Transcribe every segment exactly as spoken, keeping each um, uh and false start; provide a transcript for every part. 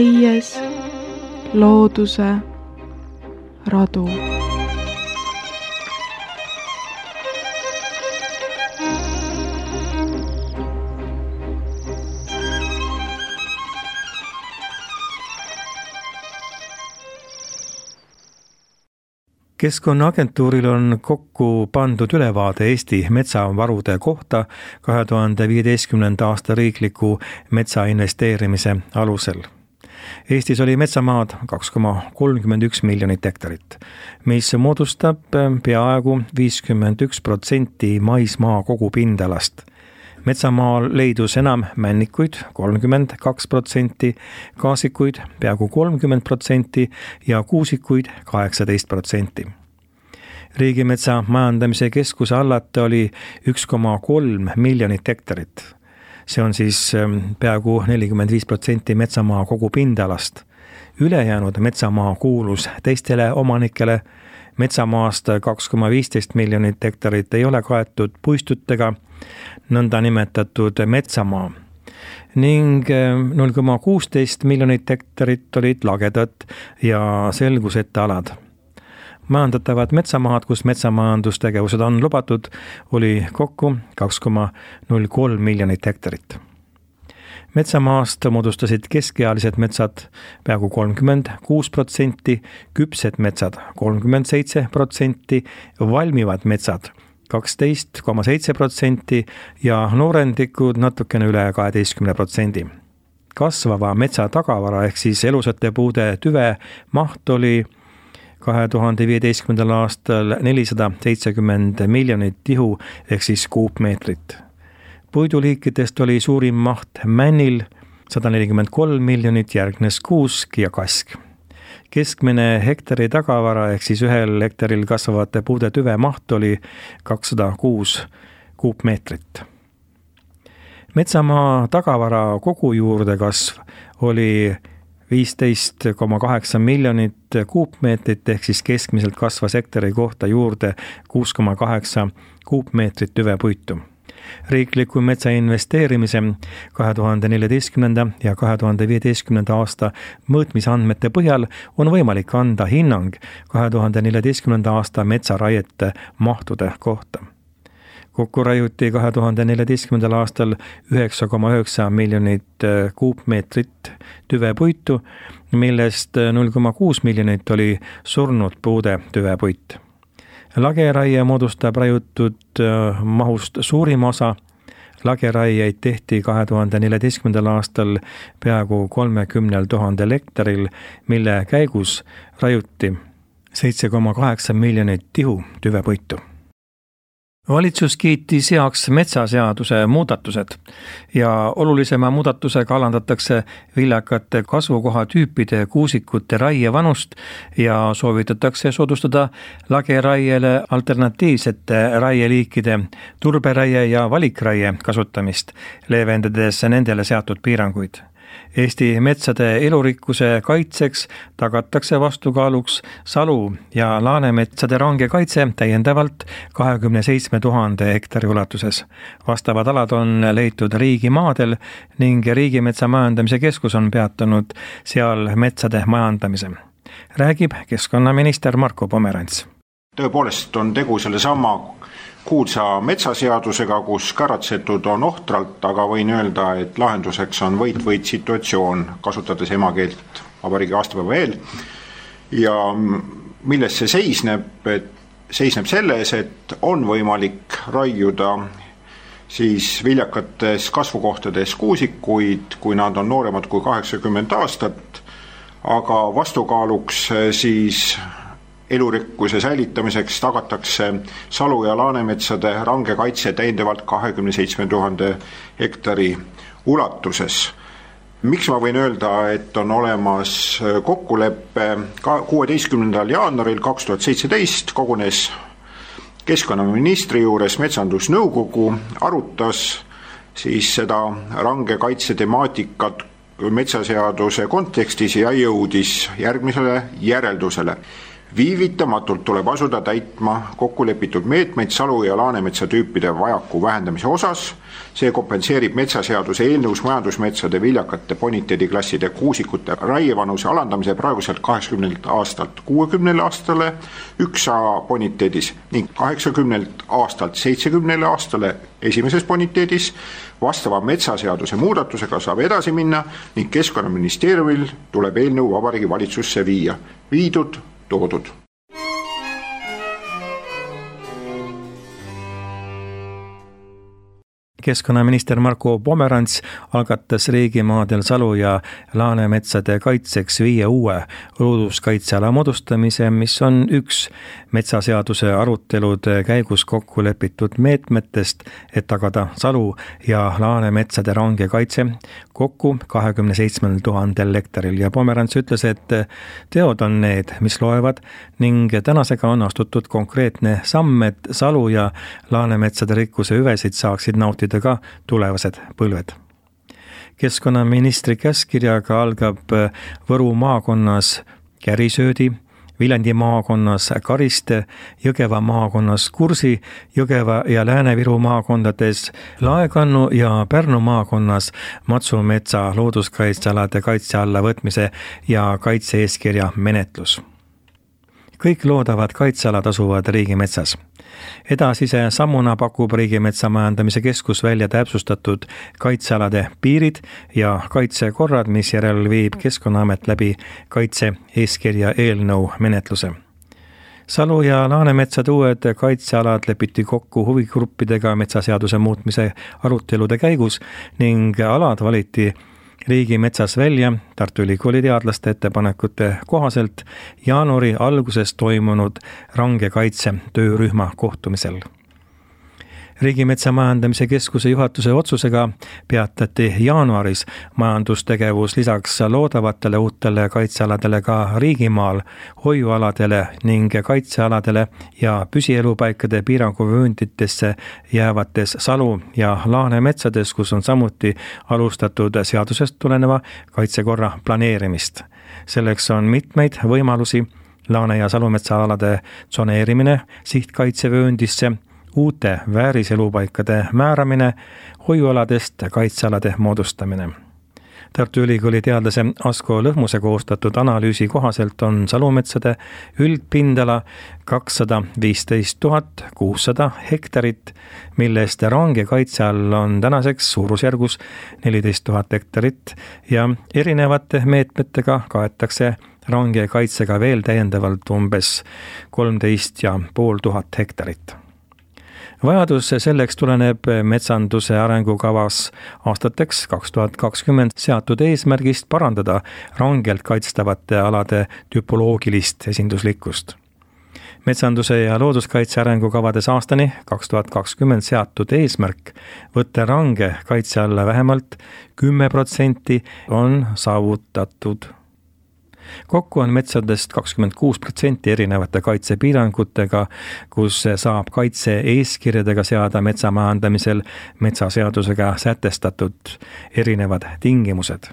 käies looduse radu. Keskkonnaagentuuril on kokku pandud ülevaade Eesti metsavarude kohta kahe tuhande viieteistkümnenda aasta riikliku metsainvesteerimise alusel. Eestis oli metsamaad kaks koma kolmkümmend üks miljonit hektarit, mis moodustab peaaegu viiskümmend üks protsenti maismaa kogupindalast. Metsamaal leidus enam männikuid kolmkümmend kaks protsenti, kaasikuid peaaegu kolmkümmend protsenti ja kuusikuid kaheksateist protsenti. Riigimetsa majandamise keskuse allate oli üks koma kolm miljonit hektarit. See on siis peaaegu nelikümmend viis protsenti metsamaa kogupindalast. Ülejäänud metsamaa kuulus teistele omanikele. Metsamaast kaks koma viisteist miljonit hektarit ei ole kaetud puistutega, nõnda nimetatud metsamaa, ning null koma kuusteist miljonit hektarit olid lagedad ja selguseta alad. Majandatavad metsamaad, kus metsamajandustegevused on lubatud, oli kokku kaks koma null kolm miljonit hektarit. Metsamaast moodustasid keskealised metsad peaaegu kolmkümmend kuus protsenti, küpsed metsad kolmkümmend seitse protsenti, valmivad metsad kaksteist koma seitse protsenti ja noorendikud natukene üle kaheteistkümne protsendi. Kasvava metsa tagavara ehk siis elusate puude tüve maht oli kahe tuhande viieteistkümnendal aastal nelisada seitsekümmend miljonit tihu ehk siis kuupmeetrit. Puiduliikidest oli suurim maht männil sada nelikümmend kolm miljonit, järgnes kuusk ja kask. Keskmine hektari tagavara ehk siis ühel hektaril kasvavate puude tüve maht oli kakssada kuus kuupmeetrit. Metsamaa tagavara kogu juurde kasv oli viisteist koma kaheksa miljonit kuupmeetrit ehk siis keskmiselt kasvas hektari kohta juurde kuus koma kaheksa kuupmeetrit tüvepuitu. Riikliku metsa investeerimise kahe tuhande neljateistkümnenda ja kahe tuhande viieteistkümnenda aasta mõõtmisandmete põhjal on võimalik anda hinnang kahe tuhande neljateistkümnenda aasta metsaraiete mahtude kohta. Kokku raiuti kahe tuhande neljateistkümnendal aastal üheksa koma üheksa miljonit kuupmeetrit tüvepuitu, millest null koma kuus miljonit oli surnud puude tüvepuit. Lageraie moodustab raiutud mahust suurim osa. Lageraieid tehti kahe tuhande neljateistkümnendal aastal peaaegu kolmekümnel tuhandel hektaril, mille käigus raiuti seitse koma kaheksa miljonit tihu tüvepuitu. Valitsus kiitis heaks metsaseaduse muudatused ja olulisema muudatusega alandatakse viljakate kasvukohatüüpide kuusikute raievanust ja soovitatakse soodustada lageraiele alternatiivsete raieliikide turberaie ja valikraie kasutamist, leevendades nendele seatud piiranguid. Eesti metsade elurikkuse kaitseks tagatakse vastukaaluks salu- ja laanemetsade range kaitse täiendavalt kahekümne seitsme tuhande hektari ulatuses. Vastavad alad on leitud riigimaadel ning Riigimetsa majandamise keskus on peatanud seal metsade majandamise. Räägib keskkonnaminister Marko Pomerants. Tõepoolest on tegu selle sama kuulsa metsaseadusega, kus käratsetud on ohtralt, aga võin öelda, et lahenduseks on võit-võit situatsioon, kasutades emakeelt vabariigi aastapäeva eel. Ja milles see seisneb? Et seisneb selles, et on võimalik raiuda siis viljakates kasvukohtades kuusikuid, kui nad on nooremad kui kaheksakümmend aastat, aga vastukaaluks siis elurikkuse säilitamiseks tagatakse salu- ja laanemetsade range kaitse täiendavalt kahekümne seitsme tuhande hektari ulatuses. Miks ma võin öelda, et on olemas kokkulepe? kuueteistkümnendal jaanuaril kaks tuhat seitseteist kogunes keskkonnaministri juures metsandusnõukogu, arutas siis seda range kaitse temaatikat metsaseaduse kontekstis ja jõudis järgmisele järeldusele. Viivitamatult tuleb asuda täitma kokkulepitud meetmeid salu- ja laanemetsa tüüpide vajaku vähendamise osas. See kompenseerib metsaseaduse eelnõus majandusmetsade viljakate boniteediklasside kuusikute raievanuse alandamise praeguselt kaheksakümnelt aastalt kuuekümnele aastale üks A boniteedis ning kaheksakümnelt aastalt seitsekümnele aastale esimeses boniteedis. Vastava metsaseaduse muudatusega saab edasi minna ning Keskkonnaministeeriumil tuleb eelnõu Vabariigi Valitsusse viia. Viidud toodud. Keskkonnaminister Marko Pomerants algatas riigimaadel salu- ja laanemetsade kaitseks viie uue looduskaitseala moodustamise, mis on üks metsaseaduse arutelude käigus kokku lepitud meetmetest, et tagada salu- ja laanemetsade range kaitse kokku kahekümne seitsmel tuhandel hektaril. Ja Pomerants ütles, et teod on need, mis loevad ning tänasega on astutud konkreetne samm, et salu- ja laanemetsade rikkuse hüvesid saaksid nautida ka tulevased põlved. Keskkonnaministri käskkirjaga algab Võru maakonnas Kärisöödi, Viljandi maakonnas Kariste, Jõgeva maakonnas Kursi, Jõgeva ja Lääne-Viru maakondades Laekannu ja Pärnu maakonnas Matsumetsa looduskaitsealade kaitse alla võtmise ja kaitse-eeskirja menetlus. Kõik loodavad kaitsealad asuvad riigimetsas. Edasise sammuna pakub Riigimetsa Majandamise Keskus välja täpsustatud kaitsealade piirid ja kaitsekorrad, mis järel viib Keskkonnaamet läbi kaitse-eeskirja eelnõu menetluse. Salu- ja laanemetsade uued kaitsealad lepiti kokku huvigruppidega metsaseaduse muutmise arutelude käigus ning alad valiti riigimetsas välja Tartu Ülikooli teadlaste ettepanekute kohaselt jaanuari alguses toimunud range kaitse töörühma kohtumisel. Riigimetsa Majandamise Keskuse juhatuse otsusega peatati jaanuaris majandustegevus lisaks loodavatele uutele kaitsealadele ka riigimaal, hoiualadele ning kaitsealadele ja püsielupaikade piiranguvöönditesse jäävates salu- ja laanemetsades, kus on samuti alustatud seadusest tuleneva kaitsekorra planeerimist. Selleks on mitmeid võimalusi: laane- ja salumetsaalade tsoneerimine sihtkaitsevööndisse, uute vääriselupaikade määramine, hoiualadest kaitsealade moodustamine. Tartu Ülikooli teadlase Asko Lõhmuse koostatud analüüsi kohaselt on salumetsade üldpindala kakssada viisteist tuhat kuussada hektarit, millest range kaitse all on tänaseks suurusjärgus neliteist tuhat hektarit ja erinevate meetmetega kaetakse range kaitsega veel täiendavalt umbes kolmteist ja pool tuhat hektarit. Vajadus selleks tuleneb metsanduse arengukavas aastateks kaks tuhat kakskümmend seatud eesmärgist parandada rangelt kaitstavate alade tüpoloogilist esinduslikkust. Metsanduse ja looduskaitse arengukavades aastani kaks tuhat kakskümmend seatud eesmärk võtta range kaitse alla vähemalt kümme protsenti on saavutatud. Kokku on metsadest kakskümmend kuus protsenti erinevate kaitsepiirangutega, kus saab kaitse-eeskirjadega seada metsamajandamisel metsaseadusega sätestatud erinevad tingimused.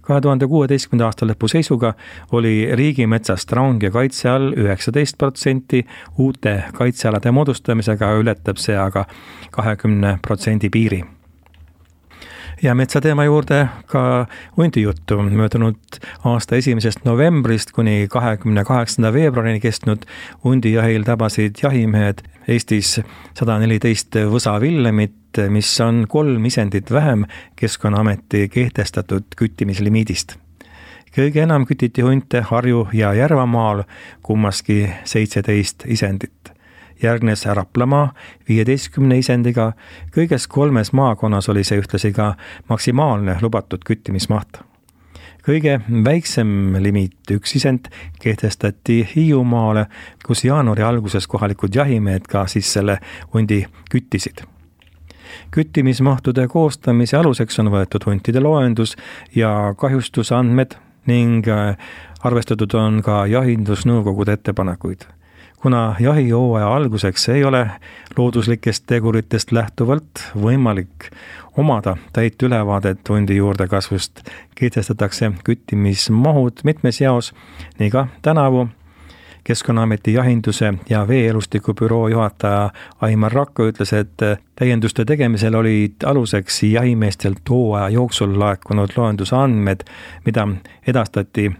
kahe tuhande kuueteistkümnenda aasta lõpu seisuga oli riigimetsast range kaitse all üheksateist protsenti, uute kaitsealade moodustamisega ületab see aga kahekümne protsendi piiri. Ja metsateema juurde ka hundijuttu. Möödunud aasta esimesest novembrist kuni kahekümne kaheksanda veebruarini kestnud hundijahil tabasid jahimehed Eestis sada neliteist võsavillemet, mis on kolm isendit vähem Keskkonnaameti kehtestatud küttimislimiidist. Kõige enam kütiti hunte Harju- ja Järvamaal, kummaski seitseteist isendit. Järgnes Raplamaa viieteistkümne isendiga, kõiges kolmes maakonnas oli see ühtlasi ka maksimaalne lubatud küttimismaht. Kõige väiksem limiit, üks isend, kehtestati Hiiumaale, kus jaanuari alguses kohalikud jahimehed ka siis selle hundi küttisid. Küttimismahtude koostamise aluseks on võetud huntide loendus ja kahjustusandmed ning arvestatud on ka jahindusnõukogude ettepanekuid. Kuna jahihooaja alguseks ei ole looduslikest teguritest lähtuvalt võimalik omada täit ülevaadet hundi juurdekasvust, kehtestatakse küttimismahud mitmes jaos, nii ka tänavu. Keskkonnaameti jahinduse ja veeelustiku büroo juhataja Aimar Rakko ütles, et täienduste tegemisel olid aluseks jahimeestelt hooaja jooksul laekunud loenduse andmed, mida edastati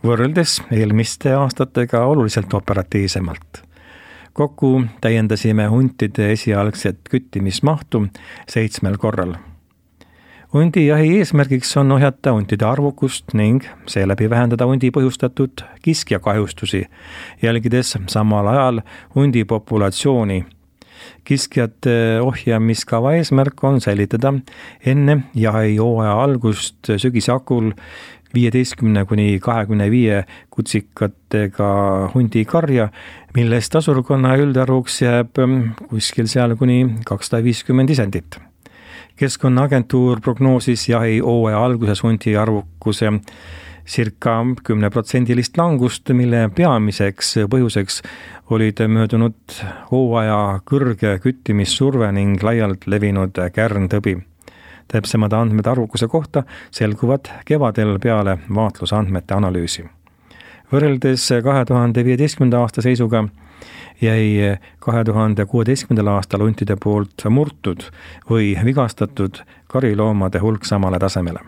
võrreldes eelmiste aastatega oluliselt operatiivsemalt. Kokku täiendasime huntide esialgset küttimismahtu seitsmel korral. Hundijahi eesmärgiks on ohjata huntide arvukust ning seeläbi vähendada hundi põhjustatud kiskjakahjustusi, jälgides samal ajal hundi populatsiooni. Kiskjate ohjamiskava eesmärk on säilitada enne jahihooaja algust sügisakul viieteistkümne kuni kahekümne viie kutsikatega hundikarja, millest asurkonna üldarvuks jääb kuskil seal kuni kakssada viiskümmend isendit. Keskkonnaagentuur prognoosis jahihooaja alguses hundi arvukuse circa kümneprotsendilist langust, mille peamiseks põhjuseks olid möödunud hooaja kõrge küttimissurve ning laialt levinud kärntõbi. Täpsemad andmed arvukuse kohta selguvad kevadel peale vaatlusandmete analüüsi. Võrreldes kahe tuhande viieteistkümnenda aasta seisuga jäi kahe tuhande kuueteistkümnendal aastal huntide poolt murtud või vigastatud kariloomade hulk samale tasemele.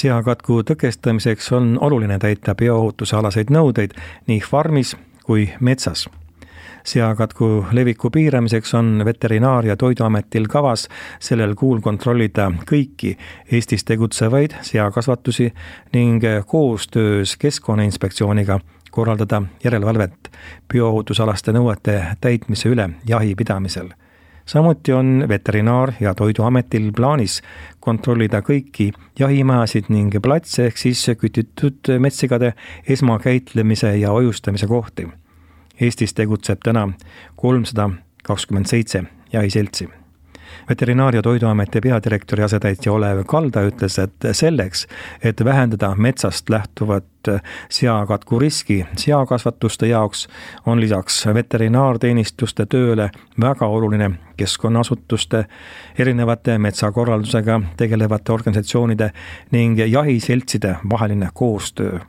Seakatku tõkestamiseks on oluline täita bioohutusealaseid nõudeid nii farmis kui metsas. Seakatku leviku piiramiseks on Veterinaar- ja Toiduametil kavas sellel kuul kontrollida kõiki Eestis tegutsevaid seakasvatusi ning koostöös Keskkonnainspektsiooniga korraldada järelevalvet bioohutusalaste nõuete täitmise üle jahipidamisel. Samuti on Veterinaar- ja Toiduametil plaanis kontrollida kõiki jahimajasid ning platse ehk siis kütitud metsigade esmakäitlemise ja ojustamise kohti. Eestis tegutseb täna kolmsada kakskümmend seitse jahiseltsi. Veterinaar- ja Toiduameti peadirektori asetäitja Olev Kalda ütles, et selleks, et vähendada metsast lähtuvat seakatku riski seakasvatuste jaoks, on lisaks veterinaarteenistuste tööle väga oluline keskkonnaasutuste, erinevate metsakorraldusega tegelevate organisatsioonide ning jahiseltside vaheline koostöö.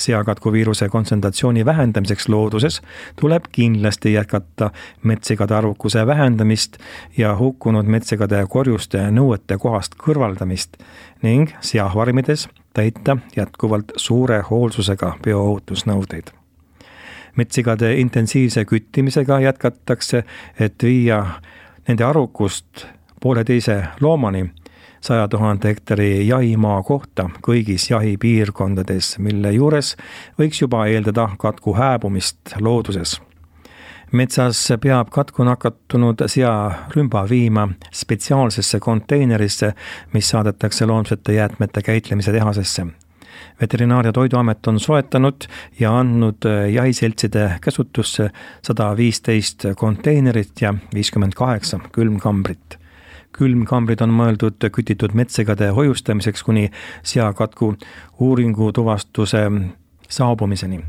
Seakatku viiruse kontsentratsiooni vähendamiseks looduses tuleb kindlasti jätkata metsigade arvukuse vähendamist ja hukkunud metsigade korjuste nõuete kohast kõrvaldamist ning seafarmides täita jätkuvalt suure hoolsusega bioohutusnõudeid. Metsigade intensiivse küttimisega jätkatakse, et viia nende arvukust pooleteise loomani saja tuhande hektari jahimaa kohta kõigis jahipiirkondades, mille juures võiks juba eeldada katku hääbumist looduses. Metsas peab katku nakatunud searümba viima spetsiaalsesse konteinerisse, mis saadetakse loomsete jäätmete käitlemise tehasesse. Veterinaar- ja Toiduamet on soetanud ja andnud jahiseltside käsutusse sada viisteist konteinerit ja viiskümmend kaheksa külmkambrit. Külmkambrid on mõeldud kütitud metsigade hoiustamiseks kuni seakatku uuringu tuvastuse saabumiseni.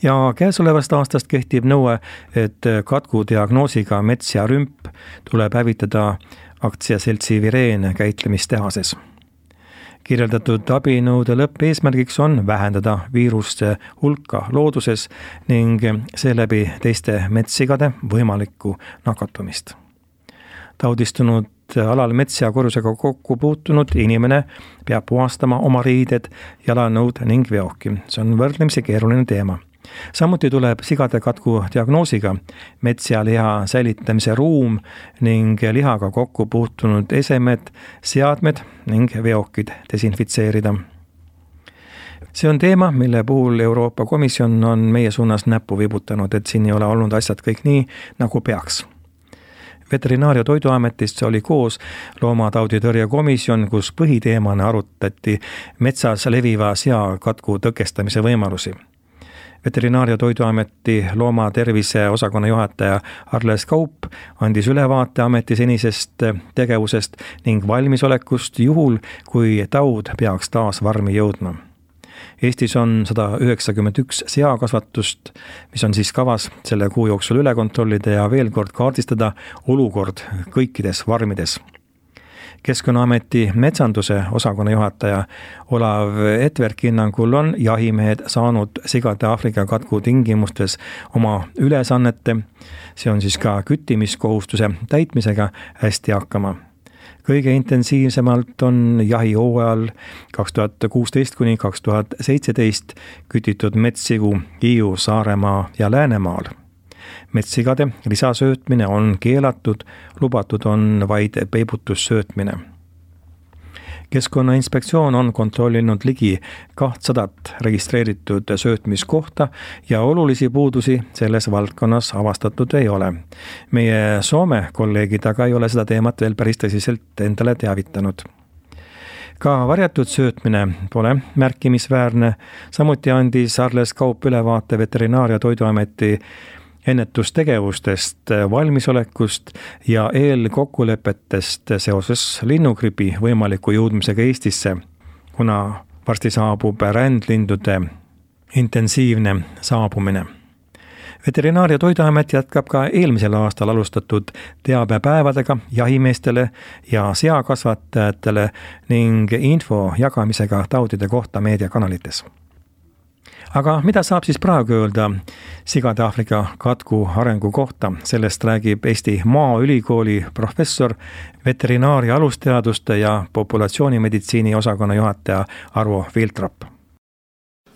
Ja käesolevast aastast kehtib nõue, et katku diagnoosiga mets ja rümp tuleb hävitada aktsiaseltsi Vireen käitlemistehases. Kirjeldatud abinõude lõppeesmärgiks on vähendada viiruste hulka looduses ning seeläbi teiste metsigade võimalikku nakatumist. Taudistunud alal mets- ja korjusega kokku puutunud inimene peab puhastama oma riided, jalanõud ning veoki. See on võrdlemisi keeruline teema. Samuti tuleb sigade katku diagnoosiga mets- ja liha säilitamise ruum ning lihaga kokku puutunud esemed, seadmed ning veokid desinfitseerida. See on teema, mille puhul Euroopa Komisjon on meie suunas näppu vibutanud, et siin ei ole olnud asjad kõik nii, nagu peaks. Veterinaar- ja Toiduametist oli koos loomatauditõrje komisjon, kus põhiteemana arutati metsas leviva seakatku tõkestamise võimalusi. Veterinaar- ja Toiduameti loomatervise osakonna juhataja Arles Kaup andis ülevaate ameti senisest tegevusest ning valmisolekust juhul, kui taud peaks taas varmi jõudma. Eestis on sada üheksakümmend üks seakasvatust, mis on siis kavas selle kuu jooksul üle kontrollida ja veel kord kaardistada olukord kõikides varmides. Keskkonnaameti metsanduse osakonna juhataja Olav Etverk hinnangul on jahimehed saanud sigade Aafrika katku tingimustes oma ülesannete, see on siis ka küttimiskohustuse täitmisega hästi hakkama. Kõige intensiivsemalt on jahihooajal kaks tuhat kuusteist kuni kaks tuhat seitseteist kütitud metssigu Hiiu, Saaremaa ja Läänemaal. Metssigade lisasöötmine on keelatud, lubatud on vaid peibutussöötmine. Keskkonnainspektsioon on kontrollinud ligi kahtsadat registreeritud söötmiskohta ja olulisi puudusi selles valdkonnas avastatud ei ole. Meie Soome kolleegid aga ei ole seda teemat veel päris tõsiselt endale teavitanud. Ka varjatud söötmine pole märkimisväärne, samuti andis Arles Kaup ülevaate Veterinaar- ja Toiduameti ennetustegevustest, valmisolekust ja eelkokkulepetest seoses linnugripi võimaliku jõudmisega Eestisse, kuna varsti saabub rändlindude intensiivne saabumine. Veterinaar- ja Toiduamet jätkab ka eelmisel aastal alustatud teabepäevadega jahimeestele ja seakasvatajatele ning info jagamisega taudide kohta meediakanalites. Aga mida saab siis praegu öelda sigade Aafrika katku arengu kohta? Sellest räägib Eesti Maaülikooli professor, veterinaaria alusteaduste ja populatsioonimeditsiini osakonna juhataja Arvo Viltrop.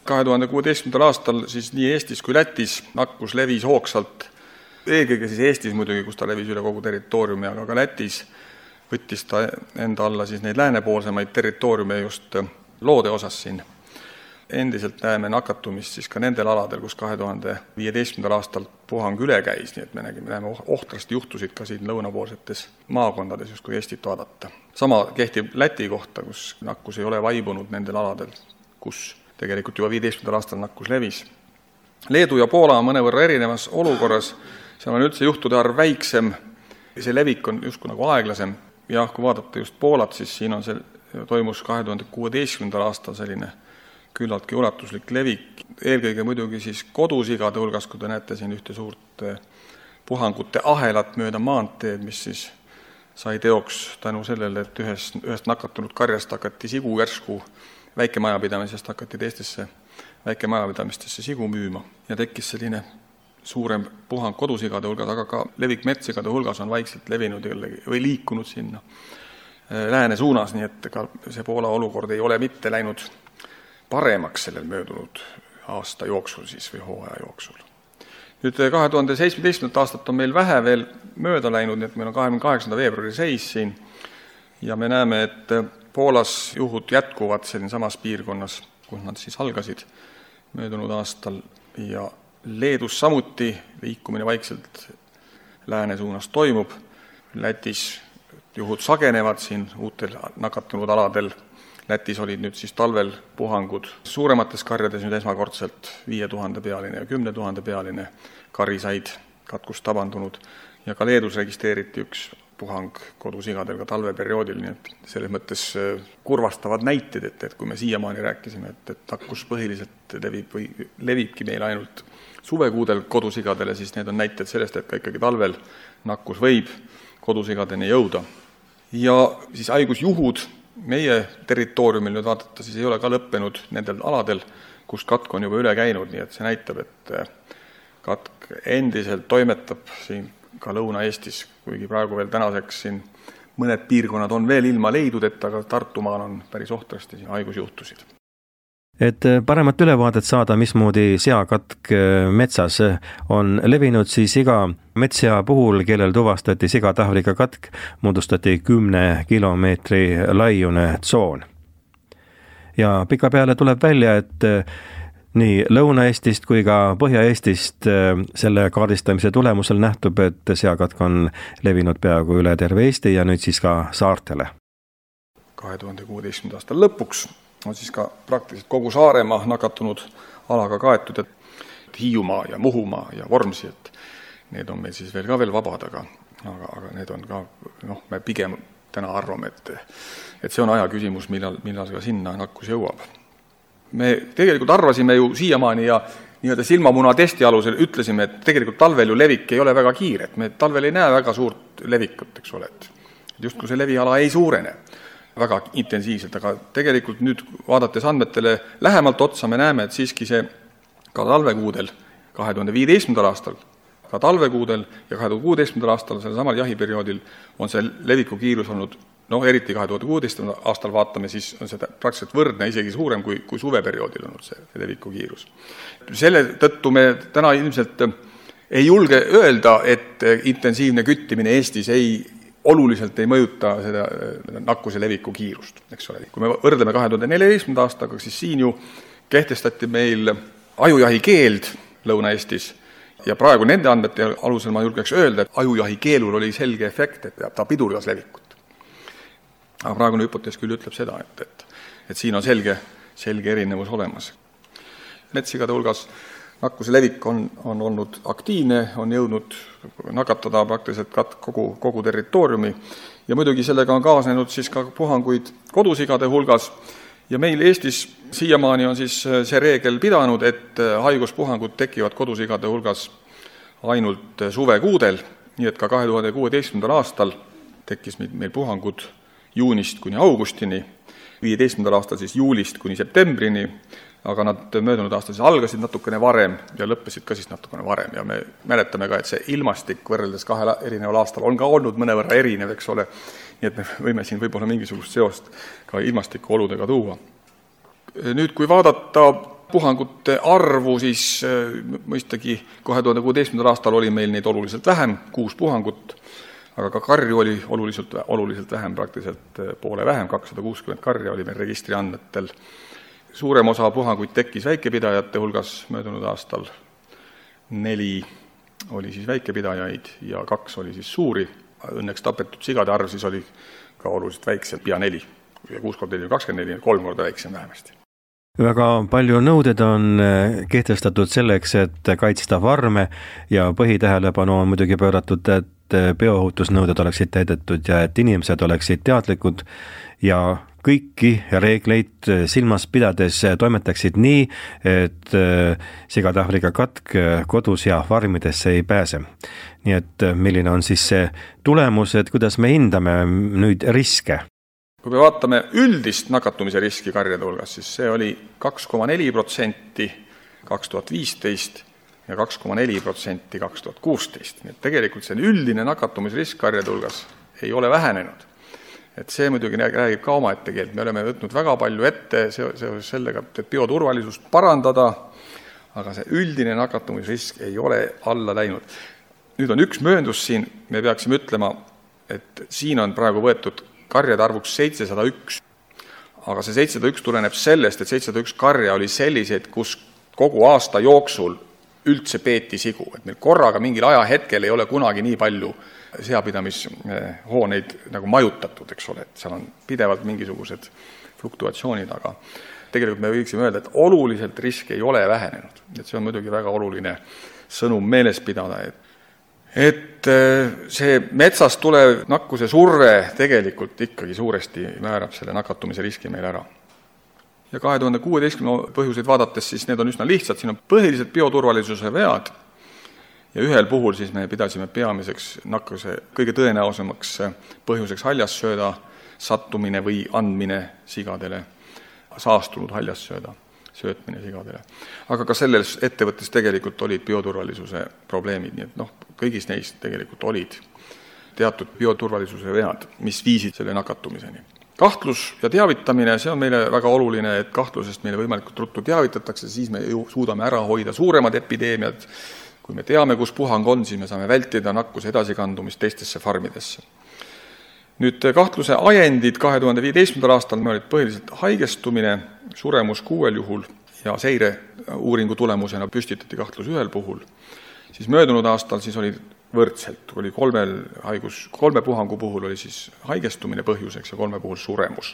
kahe tuhande kuueteistkümnendal aastal siis nii Eestis kui Lätis nakkus levis hoogsalt. Eelkõige siis Eestis muidugi, kus ta levis üle kogu territooriumi, aga ka Lätis võttis ta enda alla siis neid läänepoolsemaid territooriume just loode osas siin. Endiselt näeme nakatumist siis ka nendel aladel, kus kahe tuhande viieteistkümnendal aastal puhang üle käis, nii et me nägime, näeme ohtrast juhtusid ka siin lõunapoolsetes maakondades, just kui Eestit vaadata. Sama kehtib Läti kohta, kus nakkus ei ole vaibunud nendel aladel, kus tegelikult juba viieteistkümnendal aastal nakkus levis. Leedu ja Poola on mõnevõrra erinevas olukorras, seal on üldse juhtude arv väiksem, see levik on justkui nagu aeglasem. Ja kui vaadata just Poolat, siis siin on see, toimus kahe tuhande kuueteistkümnendal aastal selline küllaltki ulatuslik levik, eelkõige muidugi siis kodusigade hulgas, kui te näete siin ühte suurt puhangute ahelat mööda maanteed, mis siis sai teoks tänu sellele, et ühes, ühest nakatunud karjast hakati sigu järsku väikemajapidamisest hakati teistesse väikemajapidamistesse sigu müüma ja tekkis selline suurem puhang kodusigade hulgas, aga ka levik metssigade hulgas on vaikselt levinud või liikunud sinna lääne suunas, nii et ka see Poola olukord ei ole mitte läinud paremaks sellel möödunud aasta jooksul siis või hooaja jooksul. Nüüd kahe tuhande seitsmeteistkümnendat aastat on meil vähe veel mööda läinud, nii et meil on kahekümne kaheksanda veebruari seis siin ja me näeme, et Poolas juhud jätkuvad selline samas piirkonnas, kus nad siis algasid möödunud aastal ja Leedus samuti liikumine vaikselt lääne suunas toimub. Lätis juhud sagenevad siin uutel nakatunud aladel. Lätis olid nüüd siis talvel puhangud suuremates karjades nüüd esmakordselt viie tuhande pealine ja kümne tuhande pealine kari said katkust tabandunud ja ka Leedus registreeriti üks puhang kodusigadel ka talveperioodil, nii et selles mõttes kurvastavad näited, et, et kui me siiamaani rääkisime, et, et nakkus põhiliselt levib või levibki meil ainult suvekuudel kodusigadele, siis need on näited sellest, et ka ikkagi talvel nakkus võib kodusigadeni jõuda. Ja siis haigusjuhud meie territooriumil nüüd vaadata, siis ei ole ka lõppenud nendel aladel, kus katk on juba üle käinud, nii et see näitab, et katk endiselt toimetab siin ka Lõuna-Eestis, kuigi praegu veel tänaseks siin mõned piirkonnad on veel ilma leidudeta, aga Tartumaal on päris ohtrasti siin haigusjuhtusid. Et paremat ülevaadet saada, mismoodi seakatk metsas on levinud, siis iga metssea puhul, kellel tuvastati sigade Aafrika katk, moodustati kümne kilomeetri laiune tsoon. Ja pikapeale tuleb välja, et nii Lõuna-Eestist kui ka Põhja-Eestist selle kaardistamise tulemusel nähtub, et seakatk on levinud peaaegu üle terve Eesti ja nüüd siis ka saartele. kahe tuhande kuueteistkümnenda aasta lõpuks on siis ka praktiliselt kogu Saaremaa nakatunud alaga kaetud, et Hiiumaa ja Muhumaa ja Vormsi, et need on meil siis veel ka veel vabad, aga, aga, aga need on ka, noh, me pigem täna arvame, et, et see on aja küsimus, millal, millal ka sinna nakkus jõuab. Me tegelikult arvasime ju siiamaani ja nii-öelda silmamuna testi alusel ütlesime, et tegelikult talvel ju levik ei ole väga kiire, et me talvel ei näe väga suurt levikut, eks ole, et just kui see leviala ei suurene väga intensiivselt, aga tegelikult nüüd vaadates andmetele lähemalt otsa me näeme, et siiski see ka talvekuudel, kahe tuhande viieteistkümnendal aastal, ka talvekuudel ja kahe tuhande kuueteistkümnendal aastal, selle samal jahiperioodil on see leviku kiirus olnud, noh, eriti kahe tuhande kuueteistkümnendal aastal vaatame, siis on see praktiliselt võrdne, isegi suurem kui, kui suveperioodil olnud see, see leviku kiirus. Selle tõttu me täna ilmselt ei julge öelda, et intensiivne küttimine Eestis ei oluliselt ei mõjuta seda nakkuse leviku kiirust, eks ole. Kui me võrdleme kahe tuhande neljateistkümnenda aastaga, siis siin ju kehtestati meil ajujahi keeld Lõuna-Eestis ja praegu nende andmete alusel ma julgeks öelda, et ajujahi keelul oli selge efekt, et ta pidurdas levikut. Aga praegune hüpotees küll ütleb seda, et, et, et siin on selge, selge erinevus olemas. Metsigade hulgas nakkuse levik on, on olnud aktiivne, on jõudnud nakatada praktiliselt kogu, kogu territooriumi ja muidugi sellega on kaasnenud siis ka puhanguid kodusigade hulgas ja meil Eestis siiamaani on siis see reegel pidanud, et haiguspuhangud tekivad kodusigade hulgas ainult suvekuudel, nii et ka kahe tuhande kuueteistkümnendal aastal tekkis meil puhangud juunist kuni augustini, viieteistkümnendal aastal siis juulist kuni septembrini, aga nad möödunud aastal siis algasid natukene varem ja lõppesid ka siis natukene varem ja me mäletame ka, et see ilmastik võrreldes kahel erineval aastal on ka olnud mõnevõrra erinev, eks ole, nii et me võime siin võib-olla mingisugust seost ka ilmastiku oludega tuua. Nüüd, kui vaadata puhangute arvu, siis mõistagi kahe tuhande kuueteistkümnendal aastal oli meil neid oluliselt vähem, kuus puhangut, aga ka karju oli oluliselt, oluliselt vähem, praktiliselt poole vähem, kakssada kuuskümmend karja oli meil registri andmetel. Suurem osa puhanguid tekkis väikepidajate hulgas möödunud aastal, neli oli siis väikepidajaid ja kaks oli siis suuri. Õnneks tapetud sigade arv siis oli ka oluliselt väiksem, pea neli. Ja kuus korda neli on kakskümmend neli, kolm korda väiksem vähemasti. Väga palju nõuded on kehtestatud selleks, et kaitsta farme ja põhitähelepanu on muidugi pööratud, et biohutusnõuded oleksid täidetud ja et inimesed oleksid teadlikud ja kõiki reegleid silmas pidades toimetaksid nii, et sigade Aafrika katk kodus ja farmidesse ei pääse. Nii et milline on siis see tulemus, et kuidas me hindame nüüd riske? Kui me vaatame üldist nakatumise riski karjade hulgas, siis see oli kaks koma neli protsenti kaks tuhat viisteist ja kaks koma neli protsenti kaks tuhat kuusteist. Nii et tegelikult see üldine nakatumisrisk karjade hulgas ei ole vähenenud. Et see muidugi räägib ka oma ette keelt. Me oleme võtnud väga palju ette seoses sellega, et bioturvalisust parandada, aga see üldine nakatumisrisk ei ole alla läinud. Nüüd on üks mööndus siin, me peaksime ütlema, et siin on praegu võetud karjade arvuks seitsesada üks, aga see seitsesada üks tuleneb sellest, et seitsesada üks karja oli selliseid, kus kogu aasta jooksul üldse peeti sigu, et meil korraga mingil ajahetkel ei ole kunagi nii palju seapidamishooneid nagu majutatud, eks ole, et seal on pidevalt mingisugused fluktuatsioonid, aga tegelikult me võiksime öelda, et oluliselt risk ei ole vähenenud, et see on muidugi väga oluline sõnum meeles pidada, et et see metsast tulev nakkuse surve tegelikult ikkagi suuresti määrab selle nakatumise riski meil ära. Ja kahe tuhande kuueteistkümnenda põhjuseid vaadates, siis need on üsna lihtsad, siin on põhiliselt bioturvalisuse vead ja ühel puhul siis me pidasime peamiseks nakkuse kõige tõenäosemaks põhjuseks haljassööda sattumine või andmine sigadele, saastunud haljassööda söötmine sigadele. Aga ka selles ettevõttes tegelikult olid bioturvalisuse probleemid, nii et noh, kõigis neist tegelikult olid teatud bioturvalisuse vead, mis viisid selle nakatumiseni. Kahtlus ja teavitamine, see on meile väga oluline, et kahtlusest meile võimalikult ruttu teavitatakse, siis me ju suudame ära hoida suuremad epideemiad. Kui me teame, kus puhang on, siis me saame vältida nakkuse edasikandumist teistesse farmidesse. Nüüd kahtluse ajendid kahe tuhande viieteistkümnendal aastal me olid põhiliselt haigestumine, suremus kuuel juhul ja seire uuringu tulemusena püstitati kahtlus ühel puhul, siis möödunud aastal siis oli võrdselt, oli kolmel haigus, kolme puhangu puhul oli siis haigestumine põhjuseks ja kolme puhul suremus.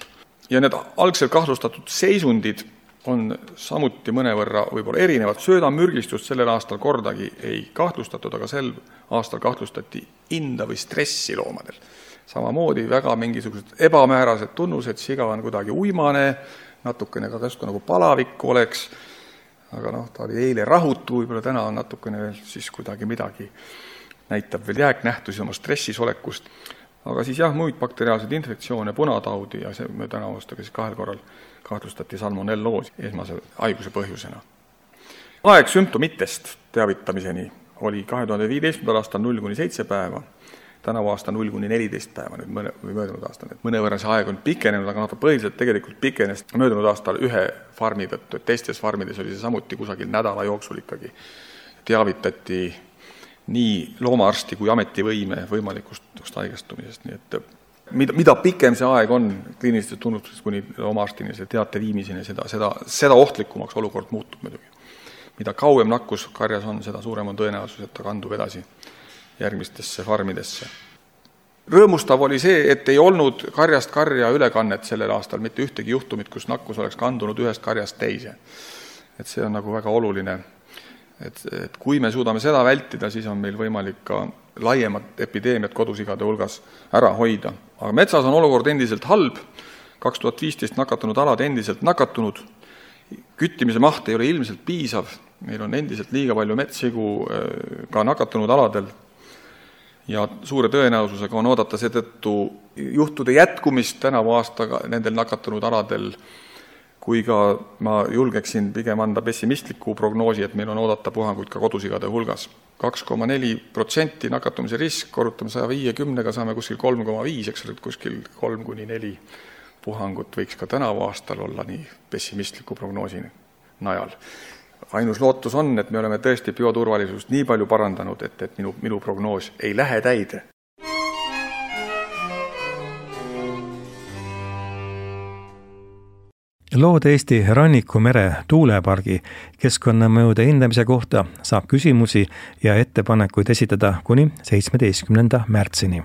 Ja need algselt kahtlustatud seisundid on samuti mõnevõrra võib-olla erinevad. Söödamürgistust sellel aastal kordagi ei kahtlustatud, aga sel aastal kahtlustati inda või stressi loomadel. Samamoodi väga mingisugused ebamäärased tunnused, siga on kuidagi uimane, natukene ka käsku nagu palavik oleks, aga noh, ta oli eile rahutu, võib-olla täna on natukene veel siis kuidagi midagi, näitab veel jääknähtusi oma stressis olekust. Aga siis jah, muid bakteriaalseid infektsioone, punataudi ja see me täna aastaga siis kahel korral kahtlustati salmonelloosi esmase haiguse põhjusena. Aeg sümptomitest teavitamiseni oli kahe tuhande viieteistkümnendal aastal null kuni seitse päeva, tänavu aasta null kuni neliteist päeva, nüüd mõne, või möödunud aastal. Et mõnevõrra see aeg on pikenenud, aga noh, põhiliselt tegelikult pikenes möödunud aastal ühe farmi tõttu, et teistes farmides oli see samuti kusagil nädala jooksul ikkagi teavitati nii loomaarsti kui ametivõime võimalikust haigestumisest. Nii et mida, mida pikem see aeg on kliinilistes tunnustustes kuni loomaarstini see teate viimiseni, seda, seda, seda ohtlikumaks olukord muutub muidugi. Mida kauem nakkus karjas on, seda suurem on tõenäosus, et ta kandub edasi järgmistesse farmidesse. Rõõmustav oli see, et ei olnud karjast karja ülekannet sellel aastal, mitte ühtegi juhtumit, kus nakkus oleks kandunud ühest karjast teise. Et see on nagu väga oluline. Et, et kui me suudame seda vältida, siis on meil võimalik ka laiemat epideemiat kodusigade hulgas ära hoida. Aga metsas on olukord endiselt halb, kaks tuhat viisteist nakatunud alad endiselt nakatunud, küttimise maht ei ole ilmselt piisav, meil on endiselt liiga palju metssigu ka nakatunud aladel ja suure tõenäosusega on oodata seetõttu juhtude jätkumist tänavu aastaga nendel nakatunud aladel, kui ka ma julgeksin pigem anda pessimistliku prognoosi, et meil on oodata puhanguid ka kodusigade hulgas. kaks koma neli protsenti nakatumise risk, korrutame saja viiekümnega, saame kuskil kolm koma viis, eks ole, kuskil kolm kuni neli puhangut võiks ka tänavu aastal olla nii pessimistliku prognoosi najal. Ainus lootus on, et me oleme tõesti bioturvalisust nii palju parandanud, et, et minu, minu prognoos ei lähe täide. Loode-Eesti rannikumere tuulepargi keskkonnamõjude hindamise kohta saab küsimusi ja ettepanekuid esitada kuni seitsmeteistkümnenda märtsini.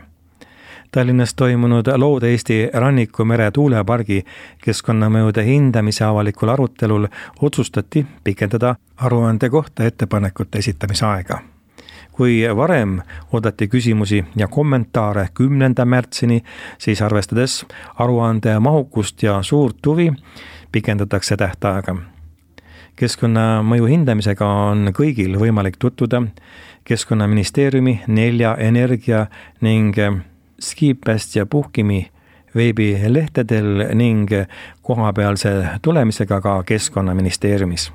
Tallinnas toimunud Loode-Eesti rannikumere tuulepargi keskkonnamõjude hindamise avalikul arutelul otsustati pikendada aruande kohta ettepanekute esitamise aega. Kui varem oodati küsimusi ja kommentaare kümnenda märtsini, siis arvestades aruande mahukust ja suurt huvi, pikendatakse tähtaega. Keskkonnamõju hindamisega on kõigil võimalik tutvuda Keskkonnaministeeriumi nelja energia ning Skipest ja Puhkimi veebilehtedel ning kohapealse tulemisega ka Keskkonnaministeeriumis.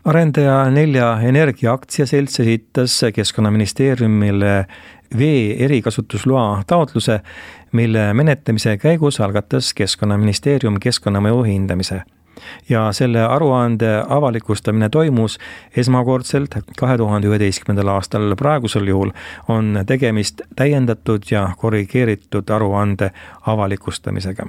Arendaja nelja energia aktsiaselts esitas Keskkonnaministeeriumile vee erikasutusloa taotluse, mille menetlemise käigus algatas Keskkonnaministeerium keskkonnamõju hindamise. Ja selle aruande avalikustamine toimus esmakordselt kahe tuhande üheteistkümnendal aastal. Praegusel juhul on tegemist täiendatud ja korrigeeritud aruande avalikustamisega.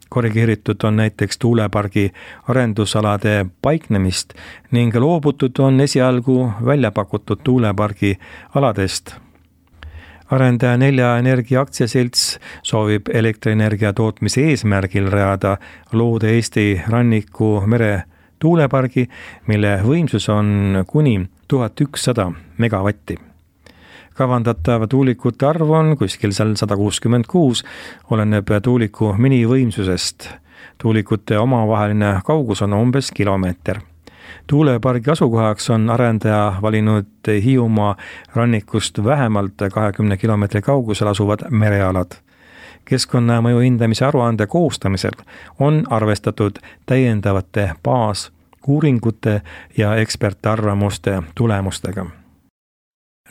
Korrigeeritud on näiteks tuulepargi arendusalade paiknemist ning loobutud on esialgu välja pakutud tuulepargi aladest. Arendaja nelja energia aktsiaselts soovib elektrienergia tootmise eesmärgil rajada Loode-Eesti rannikumere tuulepargi, mille võimsus on kuni tuhat ükssada megavatti. Kavandatav tuulikute arv on kuskil seal sada kuuskümmend kuus, oleneb tuuliku minivõimsusest. Tuulikute omavaheline kaugus on umbes kilomeeter. Tuulepargi asukohaks on arendaja valinud Hiiumaa rannikust vähemalt kahekümne kilomeetri kaugusel asuvad merealad. Keskkonnamõju hindamise aruande koostamisel on arvestatud täiendavate baasuuringute ja ekspertarvamuste tulemustega.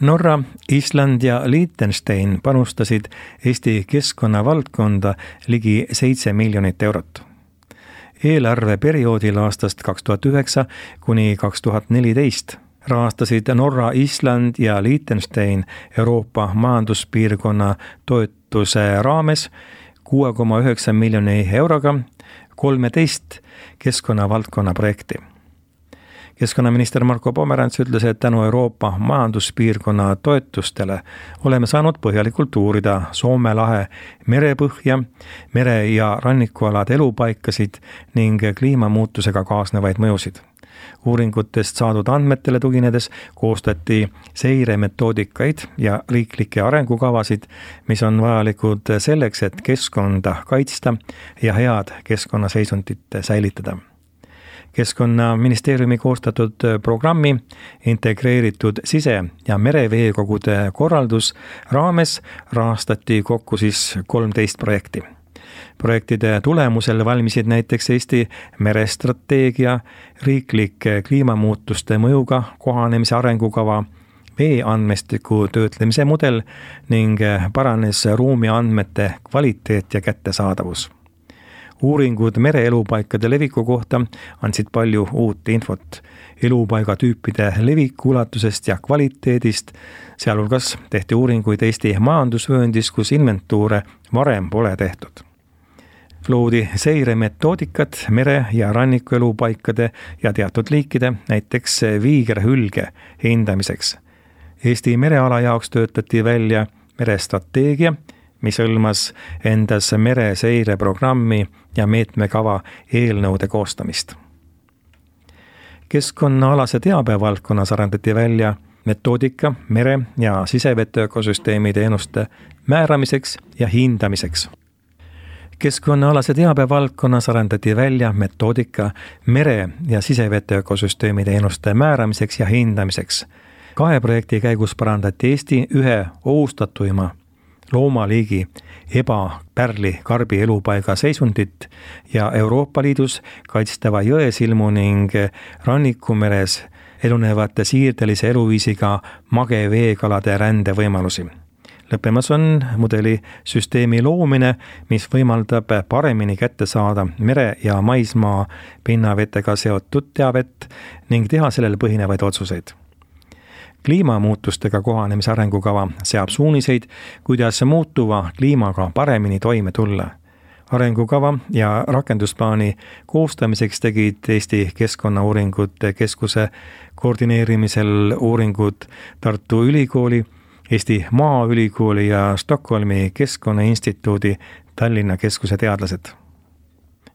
Norra, Island ja Liechtenstein panustasid Eesti keskkonnavaldkonda ligi seitse miljonit eurot. Eelarveperioodil aastast kaks tuhat üheksa kuni kaks tuhat neliteist rahastasid Norra, Island ja Liechtenstein Euroopa majanduspiirkonna toetuse raames kuue koma üheksa miljoni euroga kolmteist keskkonnavaldkonna projekti. Keskkonnaminister Marko Pomerants ütles, et tänu Euroopa majanduspiirkonna toetustele oleme saanud põhjalikult uurida Soome lahe merepõhja, mere- ja rannikualade elupaikasid ning kliimamuutusega kaasnevaid mõjusid. Uuringutest saadud andmetele tuginedes koostati seiremetoodikaid ja riiklikke arengukavasid, mis on vajalikud selleks, et keskkonda kaitsta ja head keskkonnaseisundit säilitada. Keskkonnaministeeriumi koostatud programmi integreeritud sise- ja mereveekogude korraldus raames rahastati kokku siis kolmteist projekti. Projektide tulemusel valmisid näiteks Eesti merestrateegia, riiklik kliimamuutuste mõjuga kohanemise arengukava, veeandmestiku töötlemise mudel ning paranes ruumiandmete kvaliteet ja kättesaadavus. Uuringud mereelupaikade leviku kohta andsid palju uut infot elupaigatüüpide leviku ulatusest ja kvaliteedist, sealhulgas tehti uuringuid Eesti majandusvööndis, kus inventuure varem pole tehtud. Loodi seiremetoodikad mere- ja rannikuelupaikade ja teatud liikide, näiteks viigerhülge hindamiseks. Eesti mereala jaoks töötati välja merestrateegia, mis hõlmas endas mereseireprogrammi ja meetmekava eelnõude koostamist. Keskkonnaalase teabe valdkonnas arendati välja metoodika mere- ja sisevete ökosüsteemi teenuste määramiseks ja hindamiseks. Keskkonnaalase teabe valdkonnas arendati välja metoodika mere- ja sisevete ökosüsteemi teenuste määramiseks ja hindamiseks. Kahe projekti käigus parandati Eesti ühe ohustatuima loomaliigi ebapärli karbi elupaiga seisundit ja Euroopa Liidus kaitstava jõesilmu ning rannikumeres elunevate siirdelise eluviisiga mageveekalade rände võimalusi. Lõppemas on mudeli süsteemi loomine, mis võimaldab paremini kätte saada mere- ja maismaa pinnavetega seotud teavet ning teha sellel põhinevaid otsuseid. Kliimamuutustega kohanemise arengukava seab suuniseid, kuidas muutuva kliimaga paremini toime tulla. Arengukava ja rakendusplaani koostamiseks tegid Eesti Keskkonnauuringute Keskuse koordineerimisel uuringud Tartu Ülikooli, Eesti Maaülikooli ja Stockholmi Keskkonnainstituudi Tallinna Keskuse teadlased.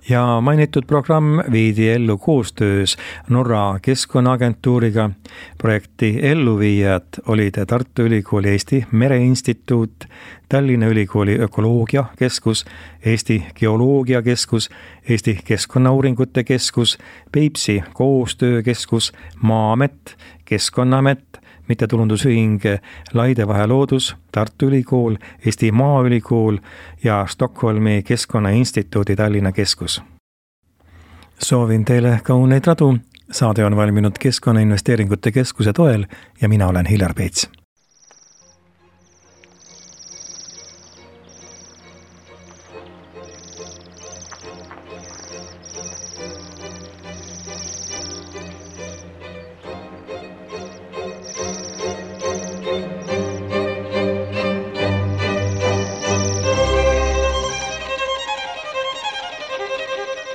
Ja mainitud programm viidi ellu koostöös Norra Keskkonnaagentuuriga. Projekti elluviijad olid Tartu Ülikooli Eesti Mereinstituut, Tallinna Ülikooli Ökoloogiakeskus, Eesti Geoloogiakeskus, Eesti Keskkonnauuringute Keskus, Peipsi Koostöökeskus, Maa-amet, Keskkonnaamet, mittetulundusühing Laidevahe loodus, Tartu Ülikool, Eesti Maaülikool ja Stockholmi Keskkonnainstituudi Tallinna Keskus. Soovin teile kauneid radu. Saade on valminud Keskkonnainvesteeringute Keskuse toel ja mina olen Hillar Peits.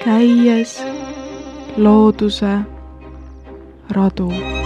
Käies looduse radu.